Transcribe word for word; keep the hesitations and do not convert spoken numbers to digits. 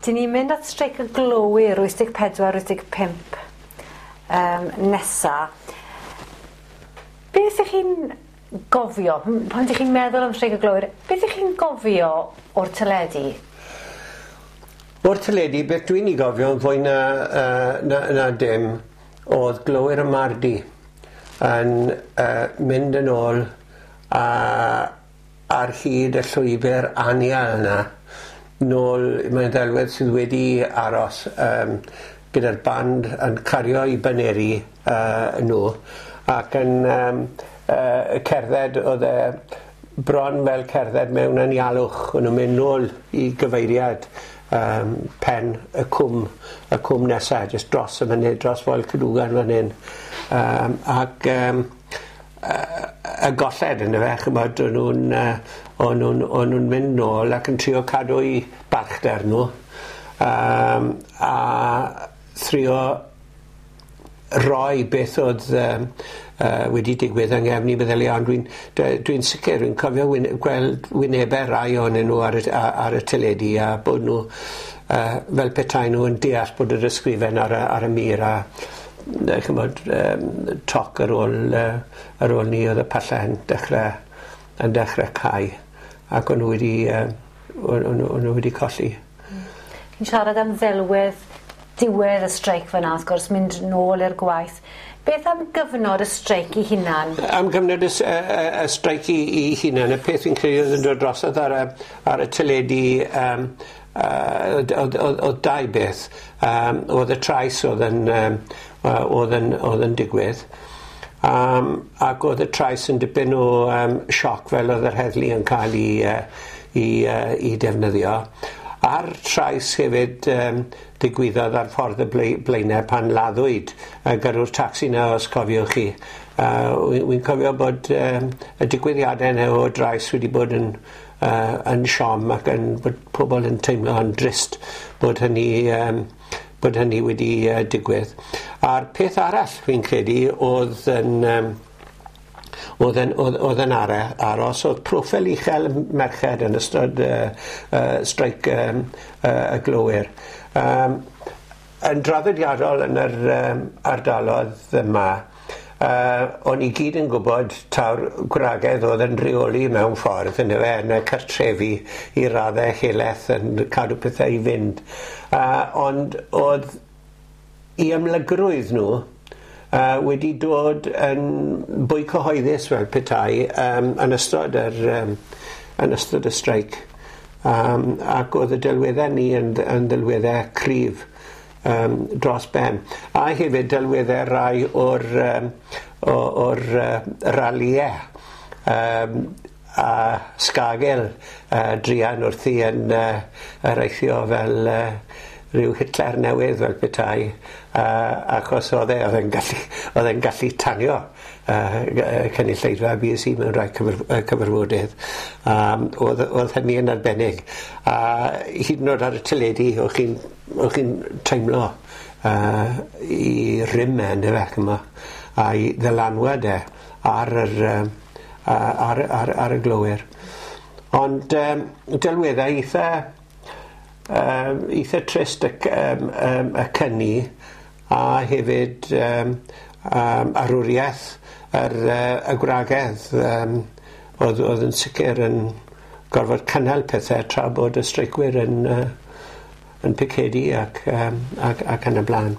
Dyn ni'n mynd at streic y glowyr wyth deg pedwar wyth deg pump um, nesa. Beth ych chi'n gofio, pan ydych chi'n meddwl am streic y glowyr, beth ych chi'n gofio o'r teledu? O'r teledu, beth dwi'n ei gofio yn fwy na, uh, na, na dim, oedd glowyr y Mardi yn uh, mynd yn ôl a, ar hyd y llwybr anial yna, nôl, mae'n ddelwedd sydd wedi aros um, gyda'r band yn cario i baneri uh, nhw ac yn um, uh, cerdded, oedd e bron fel cerdded mewn anialwch, o'n nhw'n mynd nôl i gyfeiriad um, pen y cwm, y cwm nesaf, jyst dros y mynydd, dros Foel Cadwgan fan hyn. Um, ac um, y golled yn y fe, chymod, o'n nhw'n uh, o'n nhw'n o'n nhw'n mynd nôl ac yn trio cadw i balchder nhw um, a thrio roi beth oedd um, uh, wedi digwydd yng nghefn i meddyliau, ond dwi'n dwi sicr, dwi'n cofio wyn, gweld wynebau rai ohonyn nhw ar y, ar y teledu a bod nhw uh, fel petai nhw yn deall bod yr ysgrifen ar y, ar y mur a chymod, um, toc ar ôl, uh, ar ôl ni oedd y pyllau yn dechrau, yn dechrau cau ac o'n nhw wedi, uh, o'n, o'n, o'n nhw wedi colli. Chi'n siarad am ddelwedd diwedd y streic fyna, wrth gwrs, mynd nôl i'r gwaith. Beth am gyfnod y streic i hunan? Am gyfnod y, y, y streic i, i hunan, y peth fi'n credu oedd yn dod drosodd ar y, ar y teledu um, uh, oedd, oedd, oedd dau beth. Um, oedd y trais oedd yn, um, oedd yn, oedd yn digwydd. Um, ac oedd y trais yn dipyn o um, sioc fel oedd yr heddlu yn cael ei, uh, i, uh, i defnyddio. A'r trais hefyd um, digwyddodd ar ffordd y Blaenau pan laddwyd uh, gyrrwr tacsi na, os cofiwch chi. Uh, Wy'n cofio bod um, y digwyddiadau yna o drais wedi bod yn, uh, yn siom ac yn, bod pobl yn teimlo yn drist bod hynny, um, bod hynny wedi uh, digwydd. A'r peth arall fi'n credu oedd yn... Um, oedd yn, oedd, oedd yn aros, oedd proffil uchel merched yn ystod uh, uh, streic um, uh, y glowyr. Um, yn draddodiadol yn yr um, ardalodd yma, uh, o'n i gyd yn gwybod taw'r gwragedd oedd yn rheoli mewn ffordd yn y, yn y cartrefi i raddau helaeth yn cadw pethau i fynd. Uh, ond oedd i ymlygrwydd nhw Uh, wedi dod yn bwy cyhoeddus fel petai um, yn ystod yr, um, yn ystod y streic. Um, ac oedd y delweddau ni yn, yn delweddau cryf um, dros ben. A hefyd delweddau rai o'r, um, o'r uh, raliau um, a Scargill uh, druan wrthi yn uh, areithio fel uh, rhyw Hitler newydd fel petai, uh, achos oedd e, oedd e'n gallu, oedd e'n gallu tanio uh, cynulleidfa B S E mewn rhai cyfer, cyfarfodydd. Um, oedd, oedd hynny yn arbennig. A hyd yn oed ar y teledu, o'ch chi'n o'ch chi'n teimlo uh, i rym e, yndyfe, ch'mo', a'i ddylanwad e ar, yr, uh, ar, ar, ar y glowyr. Ond um, delweddau eitha Um, eitha trist y, um, um, y cynni a hefyd um, um, arwriaeth yr, uh, y gwragedd um, oedd, oedd yn sicr yn gorfod cynnal pethau tra bod y streicwyr yn, uh, yn picedu ac, um, ac, ac yn y blaen.